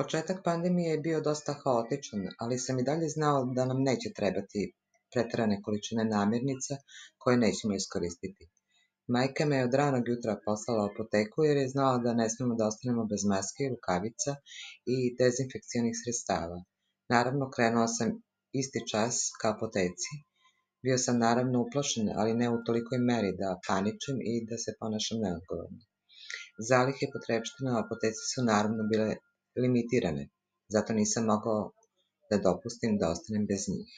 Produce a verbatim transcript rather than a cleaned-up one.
Početak pandemije je bio dosta haotičan, ali sam i dalje znao da nam neće trebati preterane količine namirnica koje nećemo iskoristiti. Majka me je od ranog jutra poslala u apoteku jer je znala da ne smemo da ostanemo bez maske, rukavica i dezinfekcionih sredstava. Naravno, krenuo sam isti čas ka apoteci. Bio sam naravno uplašen, ali ne u tolikoj meri da paničim i da se ponašam neodgovorno. Zalihe potrepština u apoteci su naravno bile limitirane, zato nisam mogao da dopustim da ostanem bez njih.